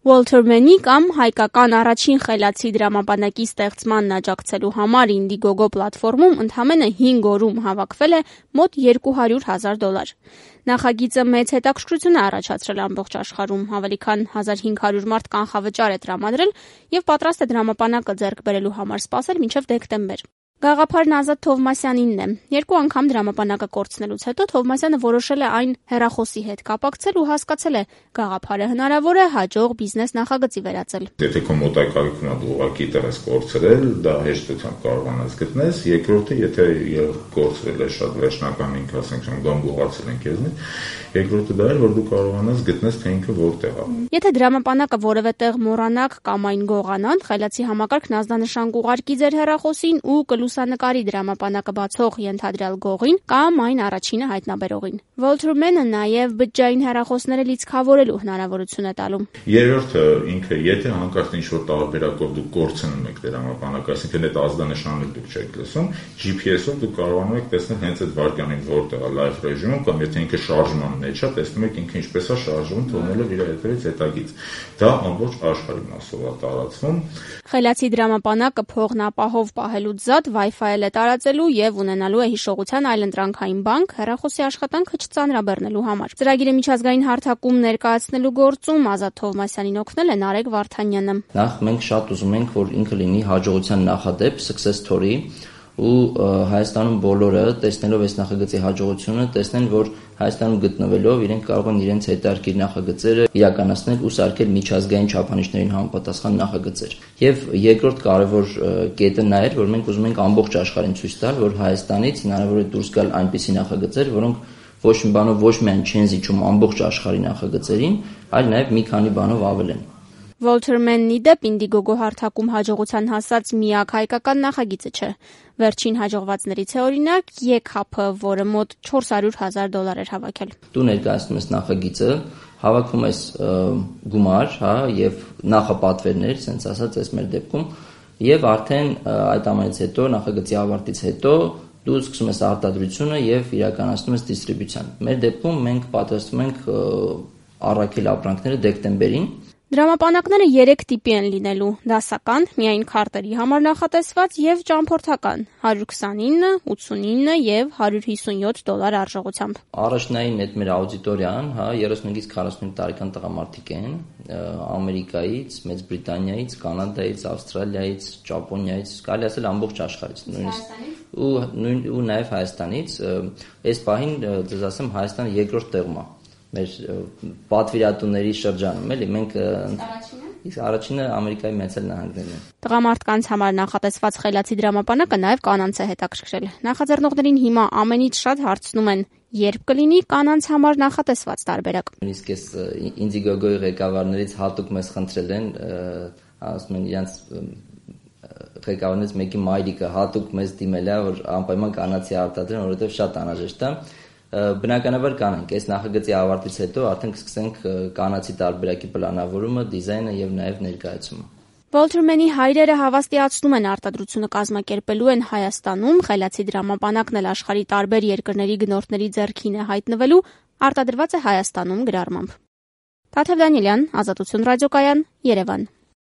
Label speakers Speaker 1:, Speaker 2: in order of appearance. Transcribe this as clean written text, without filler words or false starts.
Speaker 1: Walter Mann-ի կամ հայկական առաջին խելացի դրամապանակի ստեղծմանն աջակցելու համար Indiegogo պլատֆորմում ընդամենը 5 օրում հավաքվել է մոտ $200,000։ Նախագիծը մեծ հետաքրքրություն է առաջացրել ամբողջ աշխարհում, ավելի քան 1500 մարդ կանխավճար է տրամադրել եւ պատրաստ է դրամապանակը ձեռք բերելու համար սպասել մինչեւ դեկտեմբեր։ Գաղափարն Ազատ Թովմասյանինն է։ 2 անգամ դրամապանակը կորցնելուց հետո Թովմասյանը որոշել է այն հեռախոսի հետ կապակցել ու հասկացել է գաղափարը հնարավոր է հաջող բիզնես նախագծի վերածել։
Speaker 2: Եթե քո մոտակայքում դու ուղղակի տես կորցրել, դա հեշտությամբ կարողանաս գտնես, երկրորդը, եթե կորցրել է շատ վերջնական ինքը, ասենք, գամբուղացել են քեզնից, երկրորդը դա է, որ դու կարողանաս գտնես թե ինքը որտեղ է։
Speaker 1: Եթե դրամապանակը որևէ տեղ մոռանաք կամ այն գողանան, խելացի համակարգն ազդանշան կուղարկի ձեր հեռախոսին ու կլուսանկարի դրամապանակը բացող ենթադրյալ գողին կամ այն առաջինը հայտնաբերողին։ Walter Mann-ը նաև բջջային հեռախոսները լիցքավորելու հնարավորություն է տալու։
Speaker 2: Երրորդը ինքը, եթե հանկարծ ինչ-որ տարբերակով դուք կորցնում եք դրամապանակը, այսինքն այդ ազդանշանը դուք չեք լսում, GPS-ով դուք կարողանում եք տեսնել հենց այդ վայրկյանին որտեղ է լայվ ռեժիմում կամ եթե ինքը շարժման մեջ է, տեսնում եք ինքը ինչպես է շարժվում, թողնելով իր հետևից հետագից։ Դա ամբողջ աշխարհի մասով է տարածվում։
Speaker 1: Խելացի դրամապանակը փողն ապահով պահելուց զատ Wi-Fi-ել է տարածելու եւ ունենալու է հիշողության այլընտրանքային բանկ հեռախոսի աշխատանքը չծանրաբեռնելու համար։ Ծրագիրը միջազգային հարթակում ներկայացնելու գործում Ազատ Թովմասյանին օգնել է Նարեկ Վարդանյանը։
Speaker 3: Նախ մենք շատ ուզում ենք, որ ինքը լինի հաջողության նախադեպ, success story, ու Հայաստանում բոլորը տեսնելով այս նախագծի հաջողությունը, տեսնեն, որ Հայաստանում գտնվելով իրենք կարող են իրենց հետարքիր նախագծերը իրականացնել ու սարքել միջազգային չափանիշներին համապատասխան նախագծեր։ Եվ երկրորդ կարևոր կետը նա էր, որ մենք ուզում ենք ամբողջ աշխարհին ցույց տալ, որ Հայաստանից հնարավոր է դուրս գալ այնպիսի նախագծեր, որոնք ոչ մի բանով ոչ միայն չեն զիջում ամբողջ աշխարհի նախագծերին, այլ նաև մի քանի բանով ավել են։
Speaker 1: Walter Mann-ի դեպ Indiegogo հարթակում հաջողության հասած միակ հայկական նախագիծը չէ։ Վերջին հաջողվածներից է օրինակ Եքափը, որը մոտ $400,000 էր հավաքել։
Speaker 3: Դու ներկայացնում ես նախագիծը, հավաքում ես գումար, եւ նախապատվերներ, ասենց ասած, այս մեր դեպքում, եւ արդեն այդ ամենից հետո նախագծի ավարտից հետո դու սկսում ես արտադրությունը եւ իրականացնում ես դիստրիբյուցիան։ Մեր դեպքում մենք պատրաստում ենք առաքել ապրանքները դեկտեմբերին։
Speaker 1: Դրամապանակները 3 տիպի են լինելու՝ դասական, միայն քարտերի համար նախատեսված եւ ճամփորդական՝ 129, 89 եւ $157 արժողությամբ։
Speaker 3: Առաջնային այդ մեր աուդիտորիան, 35-ից 45 տարեկան տղամարդիկ են, Ամերիկայից, Մեծ Բրիտանիայից, Կանադայից, Ավստրալիայից, Ճապոնիայից, կարելի ասել ամբողջ աշխարհից, նույնիսկ ու նաեւ Հայաստանից։ Այս պահին ձեզ ասեմ, Հայաստանը երկրորդ տեղում է մեր պատվիրատուների շրջանում, էլի մենք իսկ առաջինը Ամերիկայի Մեծել նահանգներն են։
Speaker 1: Տղամարդկանց համար նախատեսված խելացի դրամապանակը նաև կանանց է հետաքրքրել։ Նախաձեռնողներին հիմա ամենից շատ հարցնում են, երբ կլինի կանանց համար նախատեսված տարբերակ։
Speaker 3: Նույնիսկ այս Indiegogo-ի ղեկավարներից հատուկ մեզ խնդրել են, ասում են իրանց ղեկավարներից մեկի մայրիկը հատուկ մեզ դիմել է, որ անպայման կանացի արտադրեն, որովհետև շատ անհրաժեշտ է։ Բնականաբար կանենք, այս նախագծի ավարտից հետո արդեն կսկսենք կանացի տարբերակի պլանավորումը, դիզայնը եւ նաեւ ներկայացումը։
Speaker 1: Walter Mann-ի հայրերը հավաստիացնում են արտադրությունը կազմակերպելու են Հայաստանում, խելացի դրամապանակն էլ աշխարհի տարբեր երկրների գնորդների ձեռքին է հայտնվելու, արտադրված է Հայաստանում գրառմամբ։ Թաթև Դանիելյան, Ազատություն ռադիոկայան, Երևան։